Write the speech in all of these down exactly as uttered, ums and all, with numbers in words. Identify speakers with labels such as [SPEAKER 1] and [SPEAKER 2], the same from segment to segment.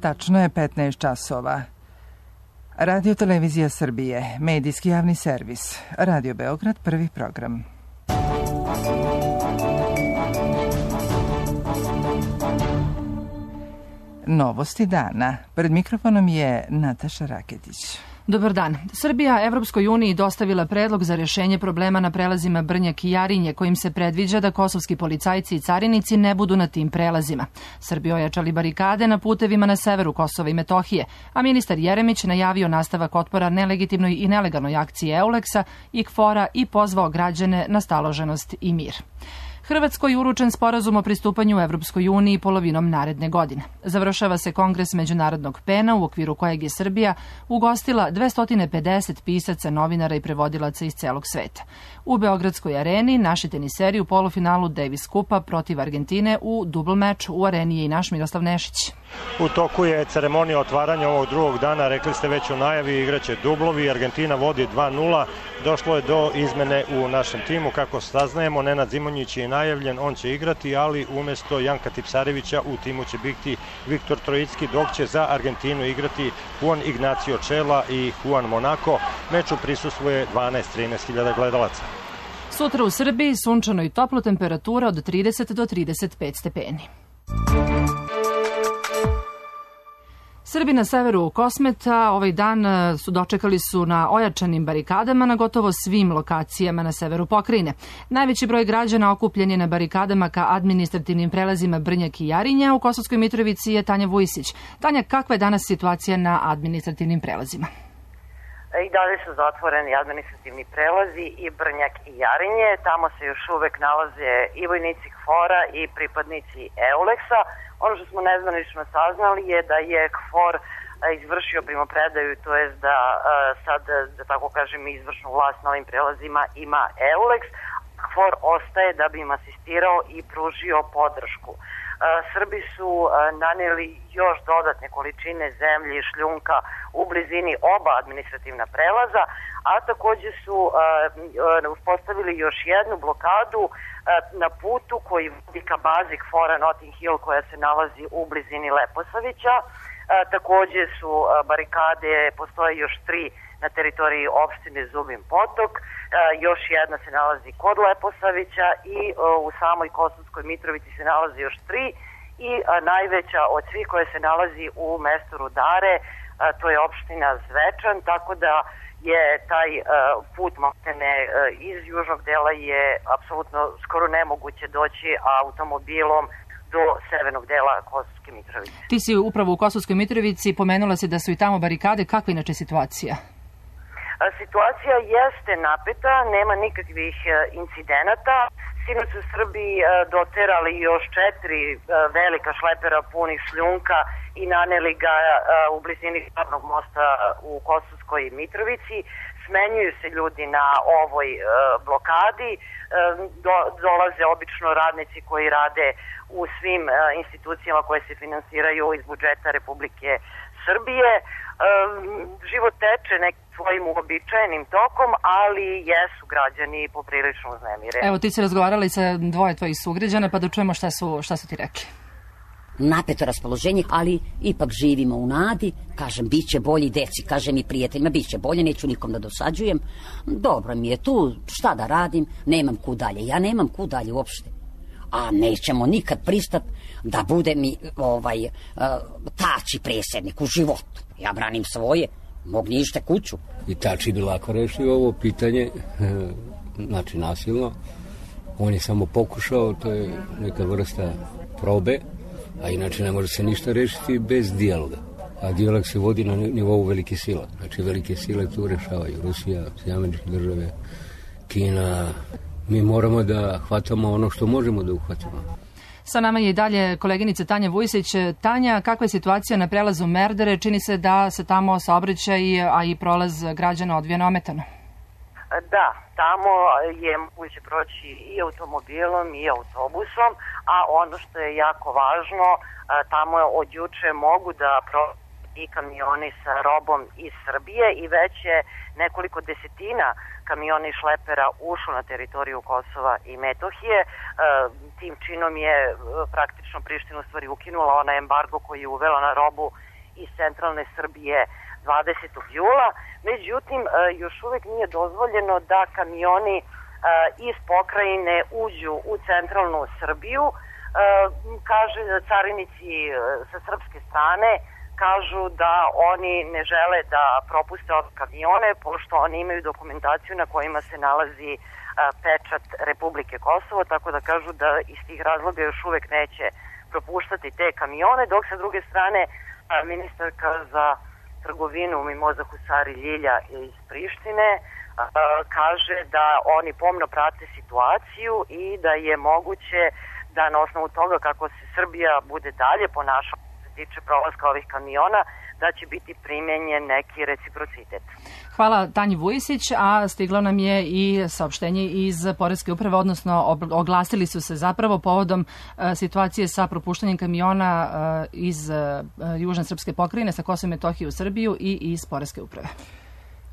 [SPEAKER 1] Tačno je petnaest časova. Radio Televizija Srbije, medijski javni servis. Radio Beograd, prvi program. Novosti dana. Pred mikrofonom je Nataša Raketić.
[SPEAKER 2] Dobar dan. Srbija Evropskoj uniji dostavila predlog za rješenje problema na prelazima Brnjak i Jarinje, kojim se predviđa da kosovski policajci i carinici ne budu na tim prelazima. Srbi ojačali barikade na putevima na severu Kosova i Metohije, a ministar Jeremić najavio nastavak otpora nelegitimnoj i nelegalnoj akciji Euleksa i KFOR-a i pozvao građane na staloženost i mir. Hrvatskoj uručen sporazum o pristupanju Evropskoj uniji polovinom naredne godine. Završava se Kongres Međunarodnog pena u okviru kojeg je Srbija ugostila dvesta pedeset pisaca, novinara i prevodilaca iz celog sveta. U Beogradskoj areni naši teniseri u polufinalu Davis Kupa protiv Argentine u dubl meču u areni je i naš Miroslav Nešić.
[SPEAKER 3] U toku je ceremonija otvaranja ovog drugog dana, rekli ste već u najavi, igraće dublovi, Argentina vodi dva nula, došlo je do izmene u našem timu, kako saznajemo, Nenad Zimonjić je najavljen, on će igrati, ali umjesto Janka Tipsarevića u timu će biti Viktor Trojicki, dok će za Argentinu igrati Juan Ignacio Čela i Juan Monaco. Meču prisustvuje dvanaest do trinaest hiljada gledalaca.
[SPEAKER 2] Sutra u Srbiji sunčano i toplo, temperatura od trideset do trideset pet stepeni. Srbi na severu Kosmeta ovaj dan su dočekali su na ojačanim barikadama na gotovo svim lokacijama na severu pokrajine. Najveći broj građana okupljen je na barikadama ka administrativnim prelazima Brnjak i Jarinja. U Kosovskoj Mitrovici je Tanja Vujisić. Tanja, kakva je danas situacija na administrativnim prelazima?
[SPEAKER 4] I dalje su zatvoreni administrativni prelazi i Brnjak i Jarinje. Tamo se još uvek nalaze i vojnici KFOR-a i pripadnici Euleksa. Ono što smo nezvanično saznali je da je KFOR izvršio primopredaju, to jest da sad, da tako kažem, izvršnu vlast na ovim prelazima ima Euleks. KFOR ostaje da bi im asistirao i pružio podršku. Srbi su nanijeli još dodatne količine zemlje i šljunka u blizini oba administrativna prelaza, a također su uspostavili još jednu blokadu na putu koji vodi ka bazi KFOR-a Notting Hill, koja se nalazi u blizini Leposavića. Također su barikade, postoje još tri na teritoriji opštine Zubin Potok, još jedna se nalazi kod Leposavića i u samoj Kosovskoj Mitrovici se nalazi još tri i najveća od svih koje se nalazi u mestu Rudare, to je opština Zvečan, tako da je taj put maltene iz južnog dela je apsolutno skoro nemoguće doći automobilom do severnog dela Kosovske Mitrovice.
[SPEAKER 2] Ti si upravo u Kosovskoj Mitrovici, pomenula si da su i tamo barikade. Kakva je inače situacija?
[SPEAKER 4] Situacija jeste napeta, nema nikakvih incidenata. Sinoć su Srbi doterali još četiri velika šlepera punih šljunka i naneli ga u blizini glavnog mosta u Kosovskoj Mitrovici. Smenjuju se ljudi na ovoj blokadi, Do, dolaze obično radnici koji rade u svim institucijama koje se finansiraju iz budžeta Republike Srbije. Život teče nekim svojim uobičajenim tokom, ali jesu građani poprilično uznemireni.
[SPEAKER 2] Evo, ti si razgovarala i sa dvoje tvojih sugrađana, pa da čujemo šta su, šta su ti rekli.
[SPEAKER 5] Napeto raspoloženje, ali ipak živimo u nadi. Kažem, bit će bolji, deci, kažem i prijateljima, bit će bolje, neću nikom da dosađujem. Dobro mi je tu, šta da radim, nemam kud dalje. Ja nemam kud dalje uopšte. A nećemo nikad pristat da bude mi ovaj uh, tači predsjednik u životu. Ja branim svoje, mog nište kuću.
[SPEAKER 6] I tači bi lako rešio ovo pitanje, znači nasilno. On je samo pokušao, to je neka vrsta probe, a inače ne može se ništa rešiti bez dijaloga. A dijalog se vodi na nivou velike sila. Znači velike sile tu rešavaju. Rusija, Sjedinjene Američke Države, Kina. Mi moramo da hvatamo ono što možemo da uhvatimo.
[SPEAKER 2] Sa nama je i dalje koleginica Tanja Vujisić. Tanja, kakva je situacija na prelazu Merdare? Čini se da se tamo saobraćaj, a i prolaz građana odvija neometano.
[SPEAKER 4] Da, tamo je moguće proći i automobilom i autobusom, a ono što je jako važno, tamo od juče mogu da proći i kamioni sa robom iz Srbije i već je nekoliko desetina kamiona i šlepera ušlo na teritoriju Kosova i Metohije. Tim činom je praktično Priština u stvari ukinula onaj embargo koji je uvela na robu iz centralne Srbije dvadesetog jula. Međutim, još uvek nije dozvoljeno da kamioni iz pokrajine uđu u centralnu Srbiju. Kaže carinici sa srpske strane, kažu da oni ne žele da propuste ove kamione, pošto oni imaju dokumentaciju na kojima se nalazi pečat Republike Kosovo, tako da kažu da iz tih razloga još uvek neće propuštati te kamione, dok sa druge strane ministarka za trgovinu Mimoza Husari Ljilja iz Prištine kaže da oni pomno prate situaciju i da je moguće da na osnovu toga kako se Srbija bude dalje ponašala što se tiče prolaska ovih kamiona, da će biti primenjen neki reciprocitet.
[SPEAKER 2] Hvala Tanji Vujisić, a stiglo nam je i saopštenje iz Poreske uprave, odnosno oglasili su se zapravo povodom situacije sa propuštanjem kamiona iz južne srpske pokrajine sa Kosova i Metohije u Srbiju i iz Poreske uprave.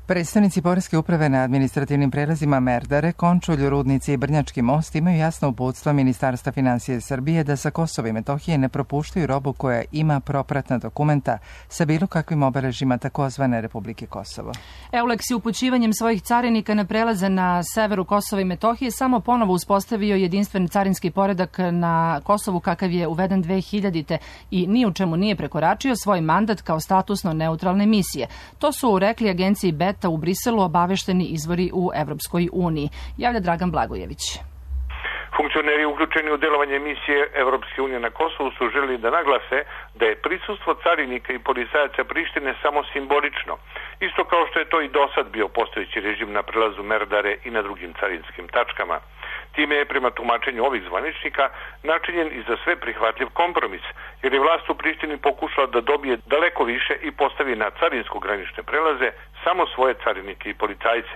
[SPEAKER 1] Predstavnici Poreske uprave na administrativnim prelazima Merdare, Končulj, Rudnici i Brnjački most imaju jasno uputstva Ministarstva finansije Srbije da sa Kosova i Metohije ne propuštaju robu koja ima propratna dokumenta sa bilo kakvim obeležima takozvane Republike Kosovo.
[SPEAKER 2] Euleks je upućivanjem svojih carinika na prelaze na severu Kosova i Metohije samo ponovo uspostavio jedinstven carinski poredak na Kosovu kakav je uveden dve hiljadite i ni u čemu nije prekoračio svoj mandat kao statusno neutralne misije. To su rekli agenciji B E T u Briselu obavešteni izvori u Evropskoj uniji. Javlja Dragan Blagojević.
[SPEAKER 7] Funkcioneri uključeni u delovanje misije Evropske unije na Kosovu su želeli da naglase da je prisustvo carinika i policajaca Prištine samo simbolično, isto kao što je to i dosad bio postojeći režim na prelazu Merdare i na drugim carinskim tačkama. Time je prema tumačenju ovih zvaničnika načinjen i za sve prihvatljiv kompromis, jer je vlast u Prištini pokušala da dobije daleko više i postavi na carinsko-granične prelaze samo svoje carinike i policajce.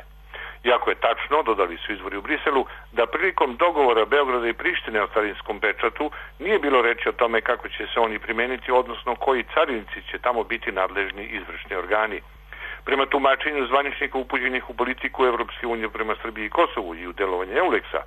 [SPEAKER 7] Iako je tačno, dodali su izvori u Briselu, da prilikom dogovora Beograda i Prištine o carinskom pečatu nije bilo reči o tome kako će se oni primeniti, odnosno koji carinici će tamo biti nadležni izvršni organi. Prema tumačenju zvaničnika upućenih u politiku Evropske unije prema Srbiji i Kosovu i u delovanje Euleksa,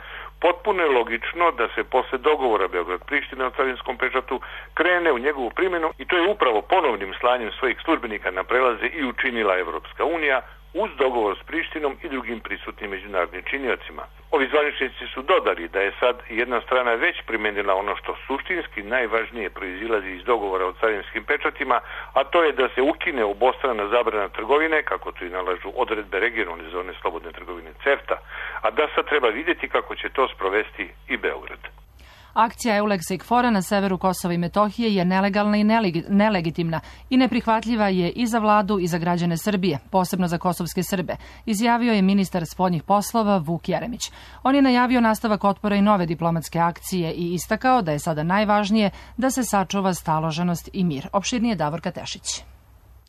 [SPEAKER 7] potpuno je logično da se posle dogovora Beograd-Prištine o carinskom pečatu krene u njegovu primjenu i to je upravo ponovnim slanjem svojih službenika na prelaze i učinila Evropska unija uz dogovor s Prištinom i drugim prisutnim međunarodnim činiocima. Ovi zvaničnici su dodali da je sad jedna strana već primenila ono što suštinski najvažnije proizilazi iz dogovora o carinskim pečatima, a to je da se ukine obostrana zabrana trgovine, kako to i nalažu odredbe regionalne zone slobodne trgovine CEFTA, a da sad treba vidjeti kako će to sprovesti i Beograd.
[SPEAKER 2] Akcija Euleksa i KFOR-a na severu Kosova i Metohije je nelegalna i nelegitimna i neprihvatljiva je i za vladu i za građane Srbije, posebno za kosovske Srbe, izjavio je ministar spoljnih poslova Vuk Jeremić. On je najavio nastavak otpora i nove diplomatske akcije i istakao da je sada najvažnije da se sačuva staloženost i mir. Opširnije Davorka Tešić.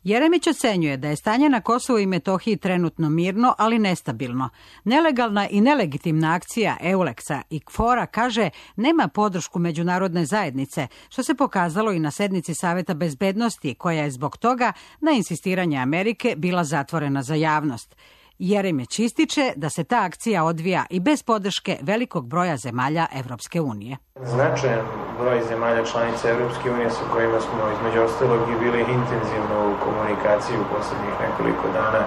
[SPEAKER 8] Jeremić ocenjuje da je stanje na Kosovu i Metohiji trenutno mirno, ali nestabilno. Nelegalna i nelegitimna akcija Euleksa i KFOR-a, kaže, nema podršku međunarodne zajednice, što se pokazalo i na sednici Saveta bezbednosti, koja je zbog toga, na insistiranje Amerike, bila zatvorena za javnost. Jeremić ističe da se ta akcija odvija i bez podrške velikog broja zemalja Evropske unije.
[SPEAKER 9] Značajan broj zemalja članica Evropske unije sa kojima smo između ostalog i bili intenzivno u komunikaciji u poslednjih nekoliko dana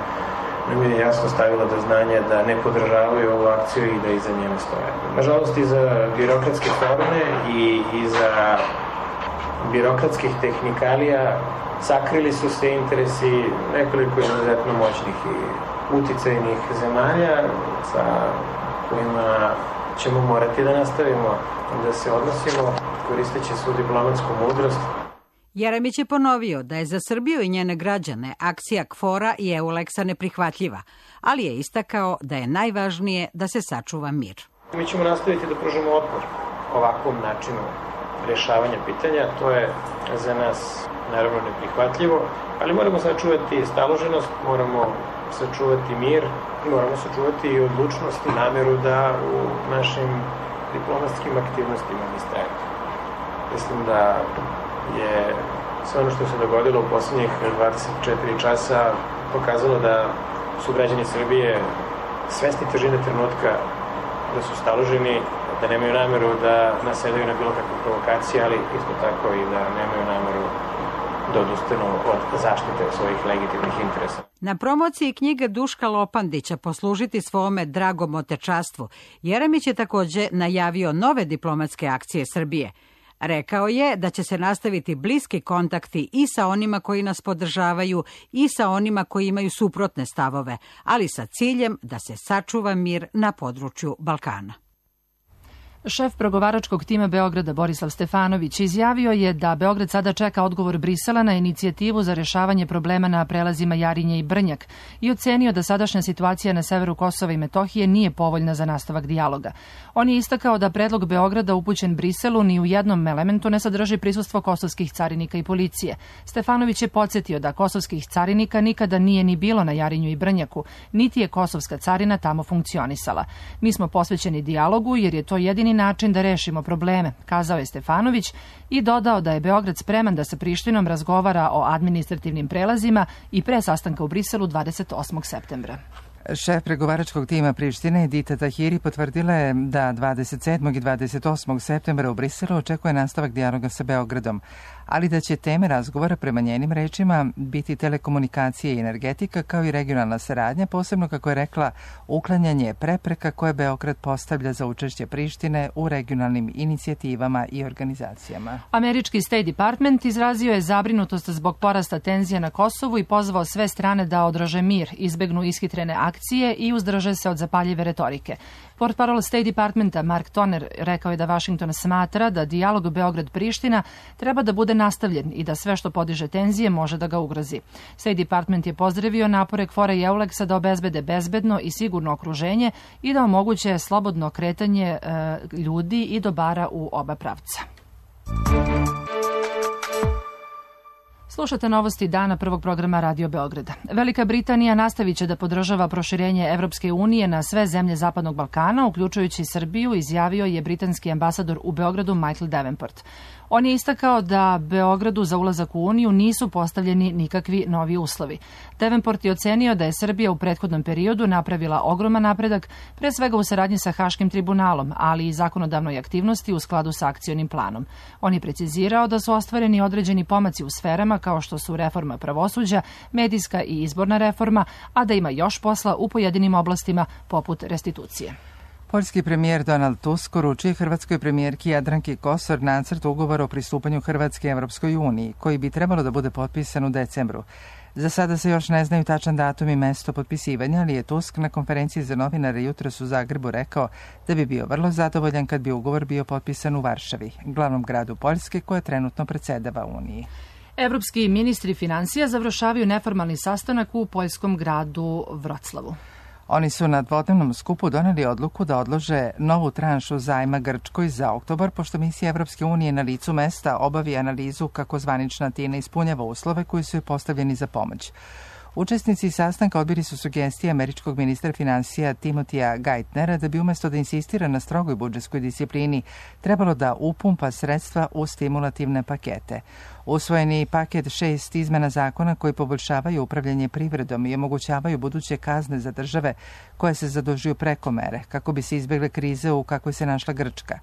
[SPEAKER 9] nam je jasno stavila do znanja da ne podržavaju ovu akciju i da iza njene stoje. Nažalost, iza birokratske forme i iza birokratskih tehnikalija sakrili su se interesi nekoliko izuzetno moćnih i uticajnih zemalja sa kojima ćemo morati da nastavimo da se odnosimo koristeći svu diplomatsku mudrost.
[SPEAKER 8] Jeremić je ponovio da je za Srbiju i njene građane akcija KFOR-a i Euleksa neprihvatljiva, ali je istakao da je najvažnije da se sačuva mir.
[SPEAKER 9] Mi ćemo nastaviti da pružimo otpor ovakvom načinu rješavanja pitanja. To je za nas naravno neprihvatljivo, ali moramo sačuvati staloženost, moramo sačuvati mir i moramo sačuvati i odlučnost i nameru da u našim diplomatskim aktivnostima istrajemo. Mislim da je sve ono što se dogodilo u posljednjih dvadeset četiri časa pokazalo da su građani Srbije svesni težine trenutka, da su staloženi, da nemaju nameru da nasedaju na bilo kakve provokacije, ali isto tako i da nemaju nameru da odustanu od zaštite svojih legitimnih interesa.
[SPEAKER 8] Na promociji knjige Duška Lopandića Poslužiti svome dragom otečastvu, Jeremić je takođe najavio nove diplomatske akcije Srbije. Rekao je da će se nastaviti bliski kontakti i sa onima koji nas podržavaju i sa onima koji imaju suprotne stavove, ali sa ciljem da se sačuva mir na području Balkana.
[SPEAKER 2] Šef pregovaračkog tima Beograda Borislav Stefanović izjavio je da Beograd sada čeka odgovor Brisela na inicijativu za rešavanje problema na prelazima Jarinje i Brnjak i ocenio da sadašnja situacija na severu Kosova i Metohije nije povoljna za nastavak dijaloga. On je istakao da predlog Beograda upućen Briselu ni u jednom elementu ne sadrži prisustvo kosovskih carinika i policije. Stefanović je podsjetio da kosovskih carinika nikada nije ni bilo na Jarinju i Brnjaku, niti je kosovska carina tamo funkcionisala. Mi smo posvećeni dijalogu jer je to jedini način da rešimo probleme, kazao je Stefanović i dodao da je Beograd spreman da sa Prištinom razgovara o administrativnim prelazima i pre sastanka u Briselu dvadeset osmog septembra.
[SPEAKER 1] Šef pregovaračkog tima Prištine Edita Tahiri potvrdila je da dvadeset sedmog i dvadeset osmog septembra u Briselu očekuje nastavak dijaloga sa Beogradom, ali da će teme razgovora prema njenim rečima biti telekomunikacije i energetika kao i regionalna saradnja, posebno kako je rekla uklanjanje prepreka koje Beograd postavlja za učešće Prištine u regionalnim inicijativama i organizacijama.
[SPEAKER 2] Američki State Department izrazio je zabrinutost zbog porasta tenzija na Kosovu i pozvao sve strane da odraže mir, izbegnu ishitrene akcije i uzdrže se od zapaljive retorike. Portparol State Departmenta Mark Toner rekao je da Washington smatra da dijalog Beograd-Priština treba da bude nastavljen i da sve što podiže tenzije može da ga ugrozi. State Department je pozdravio napore Kfora i Euleksa da obezbede bezbedno i sigurno okruženje i da omoguće slobodno kretanje e, ljudi i dobara u oba pravca. Slušate novosti dana prvog programa Radio Beograda. Velika Britanija nastavit će da podržava proširenje Evropske unije na sve zemlje Zapadnog Balkana, uključujući Srbiju, izjavio je britanski ambasador u Beogradu Michael Davenport. On je istakao da Beogradu za ulazak u Uniju nisu postavljeni nikakvi novi uslovi. Davenport je ocenio da je Srbija u prethodnom periodu napravila ogroman napredak, pre svega u saradnji sa Haškim tribunalom, ali i zakonodavnoj aktivnosti u skladu sa akcionim planom. On je precizirao da su ostvareni određeni pomaci u sferama kao što su reforma pravosuđa, medijska i izborna reforma, a da ima još posla u pojedinim oblastima poput restitucije.
[SPEAKER 1] Poljski premijer Donald Tusk uručio hrvatskoj premijerki Jadranki Kosor nacrt ugovora o pristupanju Hrvatske Evropskoj uniji, koji bi trebalo da bude potpisan u decembru. Za sada se još ne znaju tačan datum i mesto potpisivanja, ali je Tusk na konferenciji za novinare jutros u Zagrebu rekao da bi bio vrlo zadovoljan kad bi ugovor bio potpisan u Varšavi, glavnom gradu Poljske koja trenutno predsedava Uniji.
[SPEAKER 2] Evropski ministri finansija završavaju neformalni sastanak u poljskom gradu Vroclavu.
[SPEAKER 1] Oni su na dvodnevnom skupu doneli odluku da odlože novu tranšu zajma Grčkoj za oktobar, pošto misija Evropske unije na licu mesta obavi analizu kako zvanična Atina ispunjava uslove koji su joj postavljeni za pomoć. Učesnici sastanka odbili su sugestije američkog ministra finansija Timotija Geithnera da bi umesto da insistira na strogoj budžetskoj disciplini trebalo da upumpa sredstva u stimulativne pakete. Usvojeni paket šest izmena zakona koji poboljšavaju upravljanje privredom i omogućavaju buduće kazne za države koje se zadužuju preko mere, kako bi se izbjegle krize u kakvoj se našla Grčka.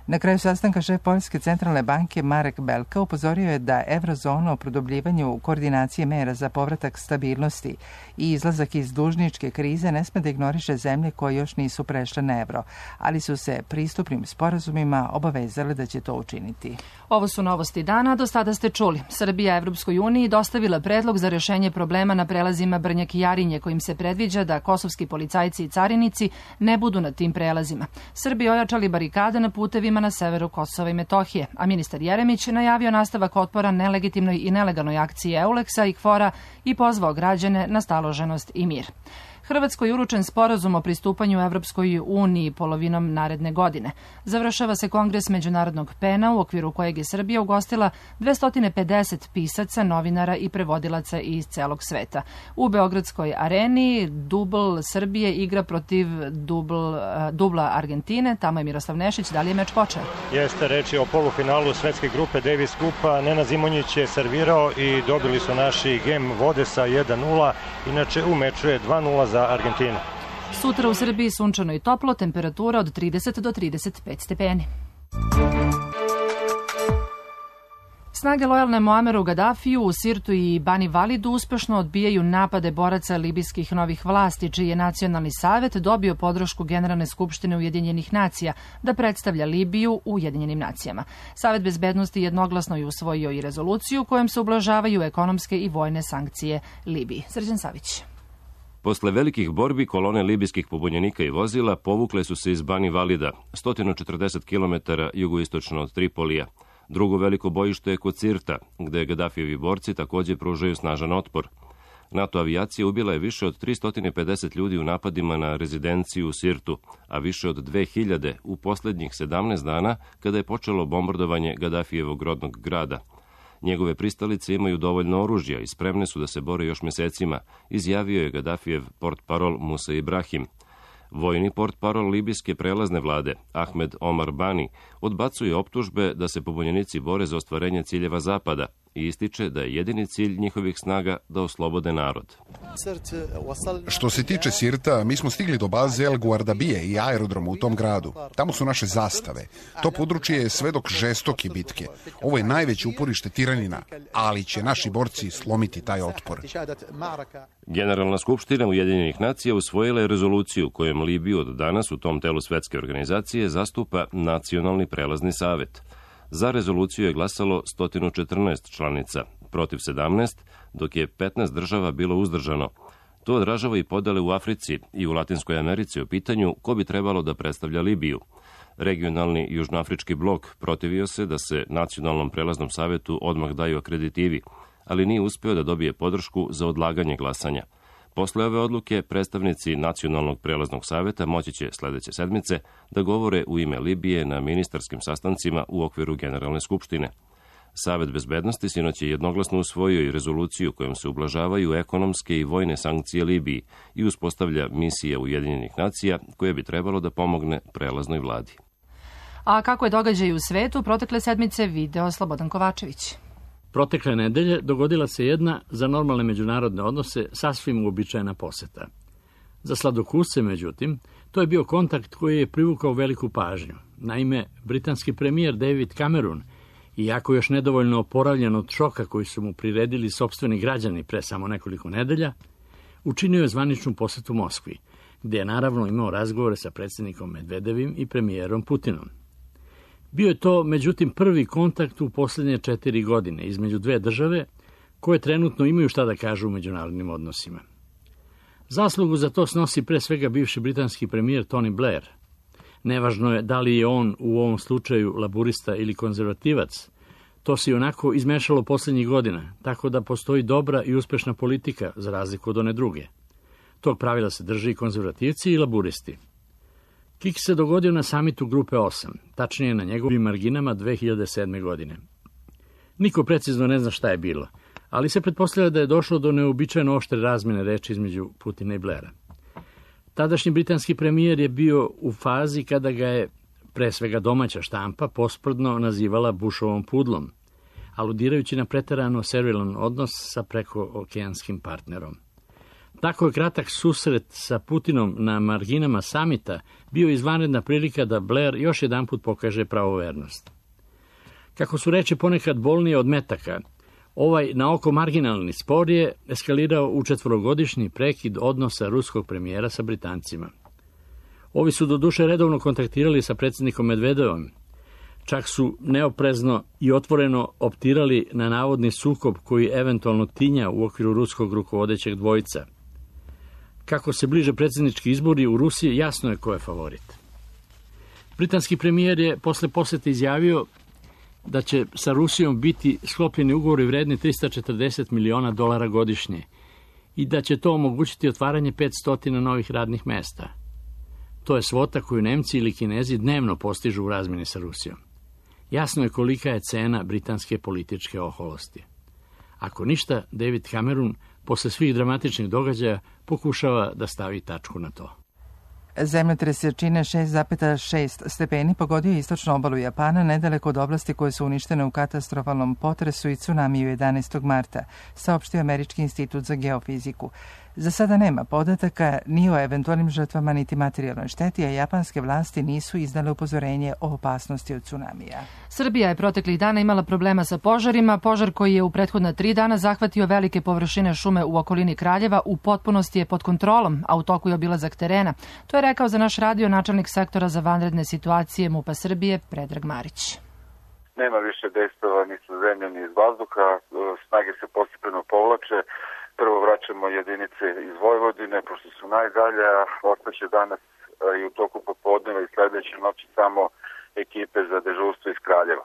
[SPEAKER 1] Na kraju sastanka šef Poljske centralne banke Marek Belka upozorio je da eurozona o produbljivanju koordinacije mera za povratak stabilnosti i izlazak iz dužničke krize ne sme da ignoriše zemlje koje još nisu prešle na evro, ali su se pristupnim sporazumima obavezale da će to učiniti.
[SPEAKER 2] Ovo su novosti dana, do sada ste čuli. Srbija Evropskoj uniji dostavila predlog za rešenje problema na prelazima Brnjak i Jarinje, kojim se predviđa da kosovski policajci i carinici ne budu na tim prelazima. Srbi ojačali barikade na putevima na severu Kosova i Metohije, a ministar Jeremić najavio nastavak otpora nelegitimnoj i nelegalnoj akciji Euleksa i Kfora i pozvao građane na staloženost i mir. Hrvatskoj je uručen sporazum o pristupanju Evropskoj uniji polovinom naredne godine. Završava se Kongres Međunarodnog pena u okviru kojeg je Srbija ugostila dvesta pedeset pisaca, novinara i prevodilaca iz celog sveta. U Beogradskoj areni dubl Srbije igra protiv dubl, dubla Argentine. Tamo je Miroslav Nešić. Da li je meč počeo?
[SPEAKER 3] Jeste, reč je o polufinalu svetske grupe Davis Kupa. Nenad Zimonjić je servirao i dobili su naši gem vode sa jedan nula. Inače u meču je dva nula za Argentinu.
[SPEAKER 2] Sutra u Srbiji sunčano i toplo, temperatura od trideset do trideset pet stepeni. Snage lojalne Muameru Gadafiju u Sirtu i Bani Validu uspešno odbijaju napade boraca libijskih novih vlasti, čiji je Nacionalni savet dobio podršku Generalne skupštine Ujedinjenih nacija da predstavlja Libiju u Ujedinjenim nacijama. Savet bezbednosti jednoglasno je usvojio i rezoluciju kojom se ublažavaju ekonomske i vojne sankcije Libiji. Srđan Savić.
[SPEAKER 10] Posle velikih borbi, kolone libijskih pobunjenika i vozila povukle su se iz Bani Valida, sto četrdeset kilometara jugoistočno od Tripolija. Drugo veliko bojište je kod Sirta, gde Gadafijevi borci takođe pružaju snažan otpor. NATO avijacija ubila je više od tristo pedeset ljudi u napadima na rezidenciju u Sirtu, a više od dve hiljade u poslednjih sedamnaest dana kada je počelo bombardovanje Gadafijevog rodnog grada. Njegove pristalice imaju dovoljno oružja i spremne su da se bore još mesecima, izjavio je Gadafijev portparol Musa Ibrahim. Vojni portparol libijske prelazne vlade, Ahmed Omar Bani, odbacuje optužbe da se pobunjenici bore za ostvarenje ciljeva Zapada i ističe da je jedini cilj njihovih snaga da oslobode narod.
[SPEAKER 11] Što se tiče Sirta, mi smo stigli do baze El Guardabije i aerodromu u tom gradu. Tamo su naše zastave. To područje je svedok žestoke bitke. Ovo je najveće uporište tiranina, ali će naši borci slomiti taj otpor.
[SPEAKER 10] Generalna skupština Ujedinjenih nacija usvojila je rezoluciju kojom Libiju od danas u tom telu svetske organizacije zastupa Nacionalni prelazni savet. Za rezoluciju je glasalo sto četrnaest članica, protiv sedamnaest, dok je petnaest država bilo uzdržano. To odražava i podele u Africi i u Latinskoj Americi o pitanju ko bi trebalo da predstavlja Libiju. Regionalni južnoafrički blok protivio se da se Nacionalnom prelaznom savetu odmah daju akreditivi, ali nije uspeo da dobije podršku za odlaganje glasanja. Posle ove odluke, predstavnici Nacionalnog prelaznog saveta moći će sledeće sedmice da govore u ime Libije na ministarskim sastancima u okviru Generalne skupštine. Savet bezbednosti sinoć je jednoglasno usvojio i rezoluciju kojom se ublažavaju ekonomske i vojne sankcije Libiji i uspostavlja misije Ujedinjenih nacija koje bi trebalo da pomogne prelaznoj vladi.
[SPEAKER 2] A kako je događaj u svetu, protekle sedmice video Slobodan Kovačević.
[SPEAKER 12] Protekle nedelje dogodila se jedna za normalne međunarodne odnose sasvim uobičajena poseta. Za sladokusce, međutim, to je bio kontakt koji je privukao veliku pažnju. Naime, britanski premijer David Cameron, iako još nedovoljno oporavljen od šoka koji su mu priredili sopstveni građani pre samo nekoliko nedelja, učinio je zvaničnu posetu Moskvi, gde je naravno imao razgovore sa predsjednikom Medvedevim i premijerom Putinom. Bio je to, međutim, prvi kontakt u posljednje četiri godine između dve države koje trenutno imaju šta da kažu u međunarodnim odnosima. Zaslugu za to snosi pre svega bivši britanski premijer Tony Blair. Nevažno je da li je on u ovom slučaju laburista ili konzervativac, to se i onako izmešalo posljednjih godina, tako da postoji dobra i uspešna politika za razliku od one druge. Tog pravila se drži i konzervativci i laburisti. Kik se dogodio na samitu Grupe osam, tačnije na njegovim marginama dve hiljade sedme. godine. Niko precizno ne zna šta je bilo, ali se pretpostavlja da je došlo do neobičajno oštre razmene reči između Putina i Blaira. Tadašnji britanski premijer je bio u fazi kada ga je, pre svega domaća štampa, posprdno nazivala Bushovom pudlom, aludirajući na preterano servilan odnos sa prekookeanskim partnerom. Tako je kratak susret sa Putinom na marginama samita bio izvanredna prilika da Blair još jedanput pokaže pravovernost. Kako su reči ponekad bolnije od metaka, ovaj na oko marginalni spor je eskalirao u četvorogodišnji prekid odnosa ruskog premijera sa Britancima. Ovi su doduše redovno kontaktirali sa predsjednikom Medvedevom, čak su neoprezno i otvoreno optirali na navodni sukob koji eventualno tinja u okviru ruskog rukovodećeg dvojca. Kako se bliže predsjednički izbori u Rusiji, jasno je ko je favorit. Britanski premijer je posle posete izjavio da će sa Rusijom biti sklopljeni ugovori vredni tristo četrdeset miliona dolara godišnje i da će to omogućiti otvaranje petsto novih radnih mesta. To je svota koju Nemci ili Kinezi dnevno postižu u razmjeni sa Rusijom. Jasno je kolika je cena britanske političke oholosti. Ako ništa, David Cameron posle svih dramatičnih događaja pokušava da stavi tačku na to.
[SPEAKER 1] Zemljotres jačine šest zarez šest stepeni pogodio istočnu obalu Japana nedaleko od oblasti koje su uništene u katastrofalnom potresu i tsunamiju jedanaestog marta, saopštio Američki institut za geofiziku. Za sada nema podataka ni o eventualnim žrtvama niti materijalnoj šteti, a japanske vlasti nisu izdale upozorenje o opasnosti od tsunamija.
[SPEAKER 2] Srbija je proteklih dana imala problema sa požarima. Požar koji je u prethodna tri dana zahvatio velike površine šume u okolini Kraljeva u potpunosti je pod kontrolom, a u toku je obilazak terena. To je rekao za naš radio načelnik sektora za vanredne situacije MUP-a Srbije Predrag Marić.
[SPEAKER 13] Nema više dejstava ni sa zemlje ni iz vazduha, snage se postepeno povlače. Prvo vraćamo jedinice iz Vojvodine, pošto su najdalje, a ostaće danas i u toku popodneva i sledeće noći samo ekipe za dežurstvo iz Kraljeva.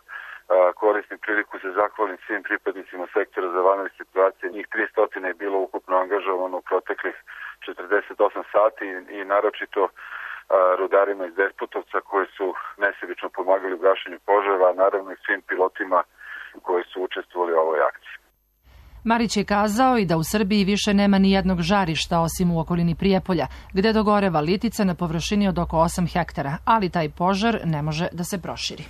[SPEAKER 13] Koristim priliku se zahvalim svim pripadnicima sektora za vanredne situacije. Njih tristo je bilo ukupno angažovano u proteklih četrdeset osam sati i naročito rudarima iz Despotovca koji su nesebično pomagali u gašenju požara, a naravno i svim pilotima koji su učestvovali u ovoj akciji.
[SPEAKER 2] Marić je kazao i da u Srbiji više nema ni jednog žarišta osim u okolini Prijepolja, gde dogoreva litica na površini od oko osam hektara, ali taj požar ne može da se proširi.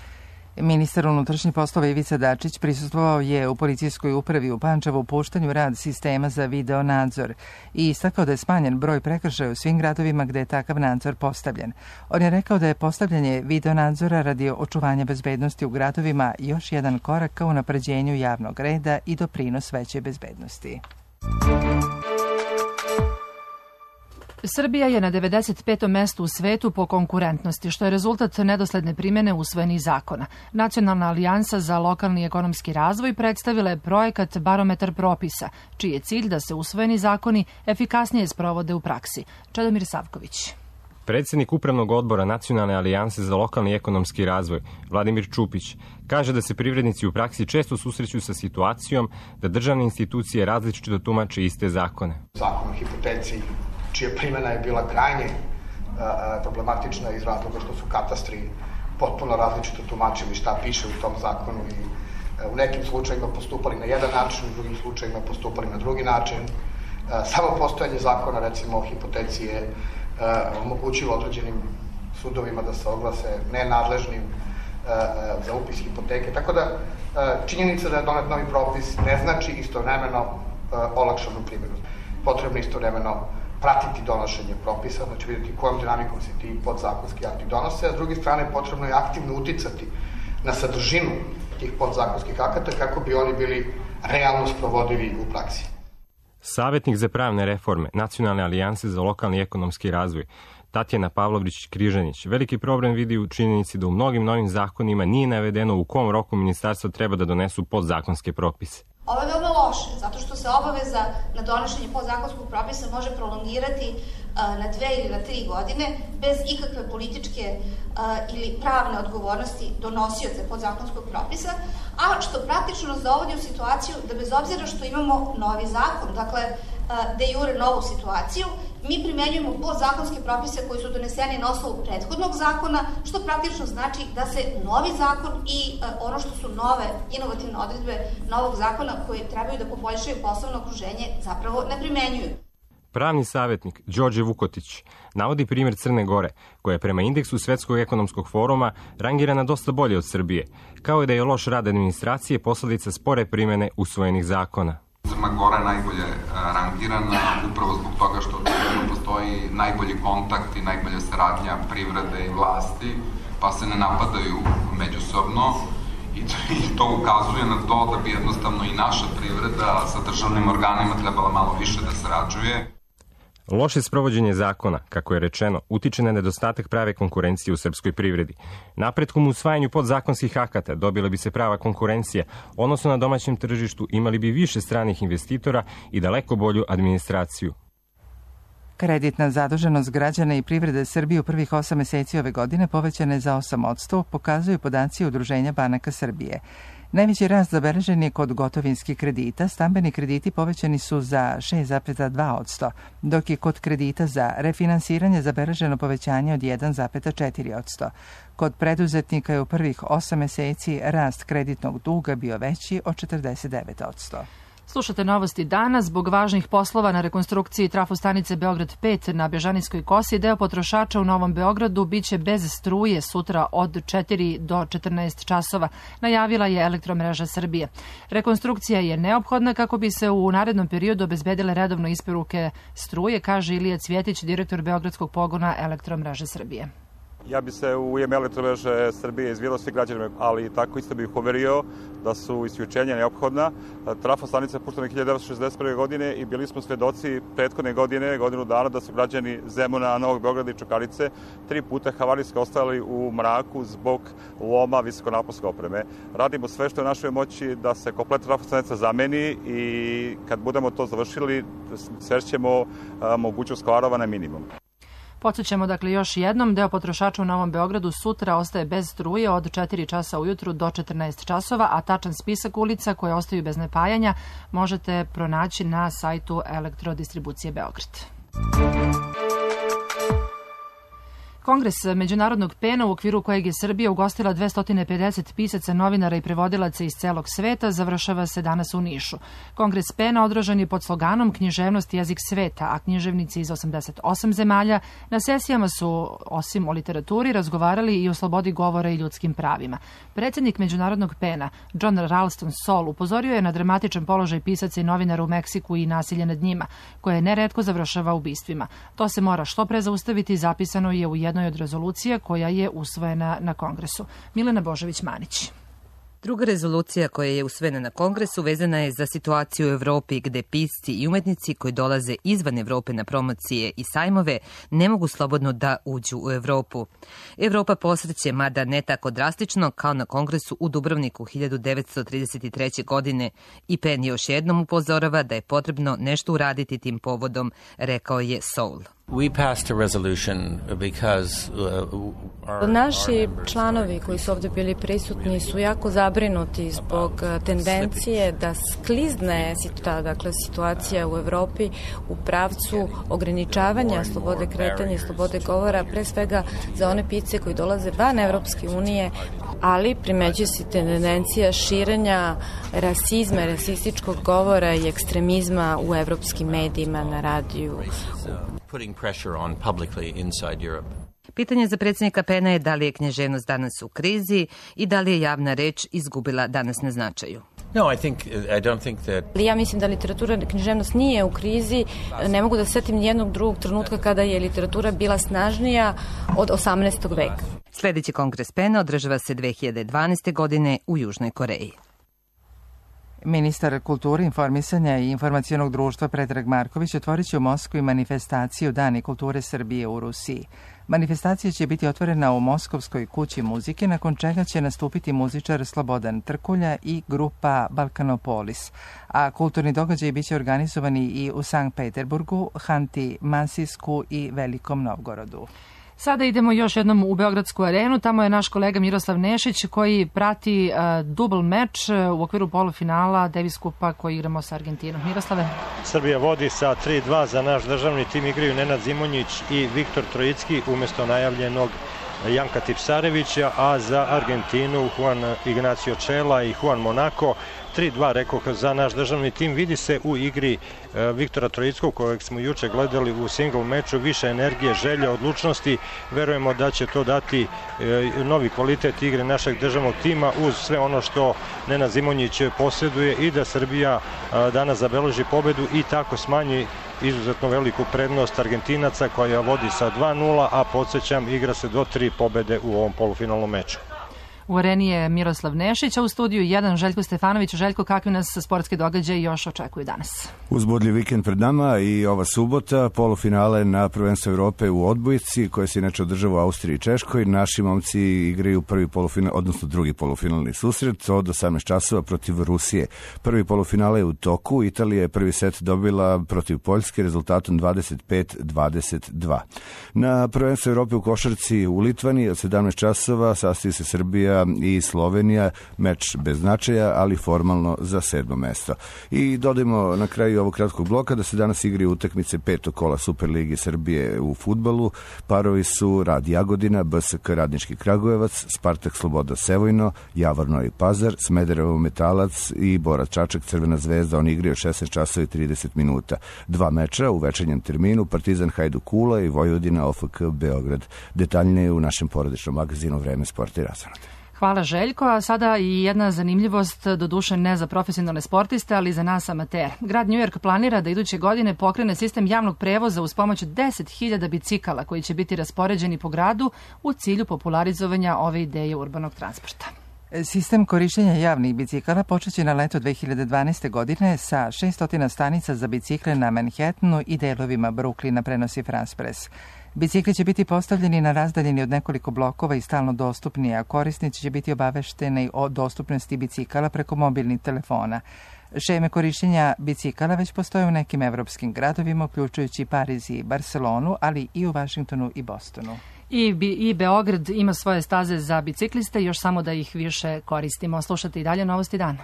[SPEAKER 1] Ministar unutrašnjih poslova Ivica Dačić prisustvovao je u policijskoj upravi u Pančevu puštanju rad sistema za video nadzor i istakao da je smanjen broj prekršaja u svim gradovima gde je takav nadzor postavljen. On je rekao da je postavljanje video nadzora radi očuvanja bezbednosti u gradovima još jedan korak ka unapređenju javnog reda i doprinos veće bezbednosti.
[SPEAKER 2] Srbija je na devedeset petom mestu u svetu po konkurentnosti, što je rezultat nedosledne primjene usvojenih zakona. Nacionalna alijansa za lokalni ekonomski razvoj predstavila je projekat Barometar propisa, čiji je cilj da se usvojeni zakoni efikasnije sprovode u praksi. Čedomir Savković.
[SPEAKER 14] Predsjednik Upravnog odbora Nacionalne alijanse za lokalni ekonomski razvoj, Vladimir Čupić, kaže da se privrednici u praksi često susreću sa situacijom da državne institucije različito tumače iste zakone.
[SPEAKER 15] Zakon o hipoteci, čija primjena je bila krajnje uh, problematična iz razloga što su katastri potpuno različito tumačili šta piše u tom zakonu i uh, u nekim slučajima postupali na jedan način, u drugim slučajima postupali na drugi način. Uh, samo postojanje zakona, recimo o hipoteci, je uh, omogućilo određenim sudovima da se oglase nenadležnim uh, za upis hipoteke. Tako da uh, činjenica da je donet novi propis ne znači istovremeno uh, olakšanu primjenu. Potrebno istovremeno pratiti donošenje propisa, znači vidjeti kojom dinamikom se ti podzakonski akti donose, a s druge strane potrebno je aktivno uticati na sadržinu tih podzakonskih akata kako bi oni bili realno sprovodivi u praksi.
[SPEAKER 14] Savetnik za pravne reforme Nacionalne alijanse za lokalni ekonomski razvoj Tatjana Pavlović-Križanić veliki problem vidi u činjenici da u mnogim novim zakonima nije navedeno u kom roku ministarstva treba da donesu podzakonske propise.
[SPEAKER 16] Ovo je veoma loše, zato što se obaveza na donošenje podzakonskog propisa može prolongirati uh, na dve ili na tri godine bez ikakve političke uh, ili pravne odgovornosti donosioca podzakonskog propisa, a što praktično nas dovodi u situaciju da bez obzira što imamo novi zakon, dakle uh, de jure novu situaciju, mi primenjujemo podzakonske propise koji su doneseni na osnovu prethodnog zakona, što praktično znači da se novi zakon i uh, ono što su nove inovativne odredbe novog zakona koje trebaju da poboljšaju poslovno okruženje zapravo ne primenjuju.
[SPEAKER 14] Pravni savjetnik Đorđe Vukotić navodi primjer Crne Gore, koja je prema indeksu Svetskog ekonomskog foruma rangirana dosta bolje od Srbije, kao i da je loš rad administracije posledica spore primjene usvojenih zakona.
[SPEAKER 17] Crna Gora je najbolje rangirana upravo zbog toga što postoji najbolji kontakt i najbolja saradnja privrede i vlasti, pa se ne napadaju međusobno. I to ukazuje na to da bi jednostavno i naša privreda sa državnim organima trebala malo više da sarađuje.
[SPEAKER 14] Loše sprovođenje zakona, kako je rečeno, utiče na nedostatak prave konkurencije u srpskoj privredi. Napretkom u usvajanju podzakonskih akata dobila bi se prava konkurencija, odnosno na domaćem tržištu imali bi više stranih investitora i daleko bolju administraciju.
[SPEAKER 1] Kreditna zaduženost građana i privrede Srbije u prvih osam meseci ove godine povećana je za osam posto, pokazuju podaci Udruženja banaka Srbije. Najveći rast zabeležen je kod gotovinskih kredita, stambeni krediti povećani su za šest zarez dva posto, dok je kod kredita za refinansiranje zabeleženo povećanje od jedan zarez četiri posto. Kod preduzetnika je u prvih osam meseci rast kreditnog duga bio veći od četrdeset devet posto.
[SPEAKER 2] Slušate novosti danas. Zbog važnih poslova na rekonstrukciji trafostanice Beograd pet na Bežanijskoj kosi, deo potrošača u Novom Beogradu biće bez struje sutra od četiri do četrnaest časova, najavila je Elektromreža Srbije. Rekonstrukcija je neophodna kako bi se u narednom periodu obezbedile redovno isporuke struje, kaže Ilija Cvjetić, direktor Beogradskog pogona Elektromreže Srbije.
[SPEAKER 18] Ja bi se u ime Elektromreže Srbije izvijelo svi građanima, ali tako isto bih uverio da su isključenja neophodna. Trafostanica je puštena hiljadu devetsto šezdeset prve. godine i bili smo svedoci prethodne godine, godinu dana, da su građani Zemuna, Novog Beograda i Čukarice tri puta havarijski ostali u mraku zbog loma visokonaponske opreme. Radimo sve što je u našoj moći da se kompletna trafostanica zameni i kad budemo to završili, svešćemo mogućnost kvarova na minimum.
[SPEAKER 2] Podsjećamo dakle još jednom, deo potrošača u Novom Beogradu sutra ostaje bez struje od četiri časa ujutru do četrnaest časova, a tačan spisak ulica koje ostaju bez napajanja možete pronaći na sajtu Elektrodistribucije Beograd. Kongres Međunarodnog pena, u okviru kojeg je Srbija ugostila dvesta pedeset pisaca, novinara i prevodilaca iz celog sveta, završava se danas u Nišu. Kongres pena održan je pod sloganom Književnost jezik sveta, a književnici iz osamdeset osam zemalja na sesijama su, osim o literaturi, razgovarali i o slobodi govora i ljudskim pravima. Predsjednik Međunarodnog pena, John Ralston Saul, upozorio je na dramatičan položaj pisaca i novinara u Meksiku i nasilje nad njima, koje neretko završava ubistvima. To se mora što pre zaustaviti, zapisano je u jednoj od rezolucija koja je usvojena na Kongresu. Milena Božović-Manić.
[SPEAKER 19] Druga rezolucija koja je usvojena na Kongresu vezana je za situaciju u Evropi gde pisci i umetnici koji dolaze izvan Evrope na promocije i sajmove ne mogu slobodno da uđu u Evropu. Evropa posreće, mada ne tako drastično kao na Kongresu u Dubrovniku hiljadu devetsto trideset treće. godine i Pen još jednom upozorava da je potrebno nešto uraditi tim povodom, rekao je Saul.
[SPEAKER 20] Naši članovi koji su ovdje bili prisutni su jako zabrinuti zbog tendencije da sklizne dakle, situacija u Evropi u pravcu ograničavanja slobode kretanja i slobode govora, pre svega za one pisce koji dolaze van Evropske unije, ali primeđuje se tendencija širenja rasizma, rasističkog govora i ekstremizma u evropskim medijima, na radiju.
[SPEAKER 19] Pitanje za predsjednika Pena je da li je književnost danas u krizi i da li je javna reč izgubila danas na značaju.
[SPEAKER 20] No, I think, I don't think that... Ja mislim da literatura i književnost nije u krizi. Ne mogu da setim nijednog drugog trenutka kada je literatura bila snažnija od osamnaestog veka.
[SPEAKER 19] Sljedeći kongres Pena održava se dve hiljade dvanaeste. godine u Južnoj Koreji.
[SPEAKER 1] Ministar kulture, informisanja i informacionog društva Predrag Marković otvorit će u Moskvi manifestaciju Dani kulture Srbije u Rusiji. Manifestacija će biti otvorena u Moskovskoj kući muzike, nakon čega će nastupiti muzičar Slobodan Trkulja i grupa Balkanopolis, a kulturni događaj biće organizovani i u Sankt Peterburgu, Hanti Mansijsku i Velikom Novgorodu.
[SPEAKER 2] Sada idemo još jednom u Beogradsku arenu. Tamo je naš kolega Miroslav Nešić koji prati uh, dubl meč uh, u okviru polufinala Davis Kupa koji igramo sa Argentinom. Miroslave.
[SPEAKER 3] Srbija vodi sa tri dva, za naš državni tim igraju Nenad Zimonjić i Viktor Trojicki umjesto najavljenog Janka Tipsarevića, a za Argentinu Juan Ignacio Čela i Juan Monaco. tri dva, rekoh, za naš državni tim. Vidi se u igri e, Viktora Trojickog, kojeg smo juče gledali u single meču, više energije, želje, odlučnosti. Verujemo da će to dati e, novi kvalitet igre našeg državnog tima uz sve ono što Nenad Zimonjić posjeduje i da Srbija a, danas zabeleži pobedu i tako smanji izuzetno veliku prednost Argentinaca koja vodi sa dva nula, a podsjećam, igra se do tri pobede u ovom polufinalnom meču.
[SPEAKER 2] U areni je Miroslav Nešić, a u studiju jedan Željko Stefanović. Željko, kakvi nas sportske događaje još očekuju danas?
[SPEAKER 21] Uzbudljiv vikend pred nama i ova subota, polufinale na prvenstvu Evrope u odbojci, koje se inače održava u Austriji i Češkoj. Naši momci igraju prvi polufinal, odnosno drugi polufinalni susret od osamnaest časova protiv Rusije. Prvi polufinale je u toku. Italija je prvi set dobila protiv Poljske rezultatom dvadeset pet dvadeset dva. Na prvenstvu Evrope u košarci u Litvani od sedamnaest časova sastoji se Srbija Srbija i Slovenija, meč bez značaja, ali formalno za sedmo mesto. I dodajmo na kraju ovog kratkog bloka da se danas igraju utakmice petog kola Superligi Srbije u fudbalu. Parovi su Rad Jagodina, B S K Radnički Kragujevac, Spartak Sloboda Sevojno, Javor Novi Pazar, Smederevo Metalac i Bora Čačak Crvena zvezda. Oni igraju šesnaest časova i trideset minuta. Dva meča u večernjem terminu, Partizan Hajduk Kula i Vojvodina O F K Beograd. Detaljnije u našem porodičnom magazinu Vreme, sport i razonoda.
[SPEAKER 2] Hvala Željko, a sada i jedna zanimljivost, doduše ne za profesionalne sportiste, ali za nas amatere. Grad New York planira da iduće godine pokrene sistem javnog prevoza uz pomoć deset hiljada bicikala koji će biti raspoređeni po gradu u cilju popularizovanja ove ideje urbanog transporta.
[SPEAKER 1] Sistem korišćenja javnih bicikala počeće na leto dve hiljade dvanaeste. godine sa šesto stanica za bicikle na Manhattanu i delovima Brooklyna, prenosi France Press. Bicikli će biti postavljeni na razdaljini od nekoliko blokova i stalno dostupni, a korisnici će biti obavešteni o dostupnosti bicikala preko mobilnih telefona. Šeme korišćenja bicikala već postoje u nekim evropskim gradovima, uključujući Pariz i Barcelonu, ali i u Vašingtonu i Bostonu.
[SPEAKER 2] I, I Beograd ima svoje staze za bicikliste, još samo da ih više koristimo. Slušajte i dalje novosti dana.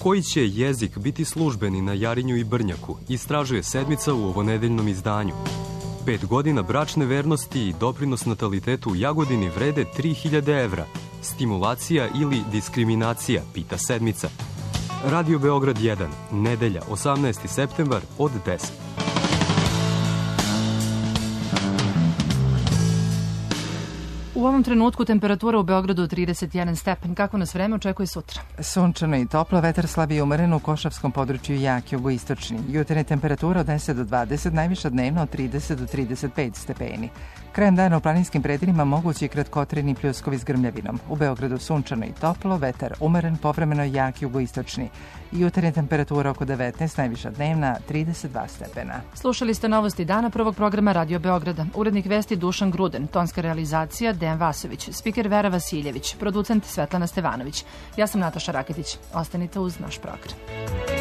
[SPEAKER 5] Koji će jezik biti službeni na Jarinju i Brnjaku, istražuje sedmica u ovonedeljnom izdanju. Pet godina bračne vernosti i doprinos natalitetu u Jagodini vrede tri hiljade evra. Stimulacija ili diskriminacija, pita sedmica. Radio Beograd jedan, nedelja, osamnaesti septembar od deset.
[SPEAKER 2] U ovom trenutku temperatura u Beogradu trideset jedan stepen. Kako nas vreme očekuje sutra?
[SPEAKER 1] Sunčano i toplo, vetar slab i umeren, u Košavskom području jak jugoistočni. Jutarnja temperatura od deset do dvadeset, najviša dnevno od trideset do trideset pet stepeni. Krajem dana u planinskim predelima mogući i kratkotrajni pljuskovi s grmljavinom. U Beogradu sunčano i toplo, vetar umeren, povremeno jak jugoistočni. Jutarnja temperatura oko devetnaest, najviša dnevna trideset dva stepena.
[SPEAKER 2] Slušali ste novosti dana prvog programa Radio Beograda. Urednik vesti Dušan Gruden, tonska realizacija Dejan Vasović, spiker Vera Vasiljević, producent Svetlana Stevanović. Ja sam Nataša Raketić. Ostanite uz naš program.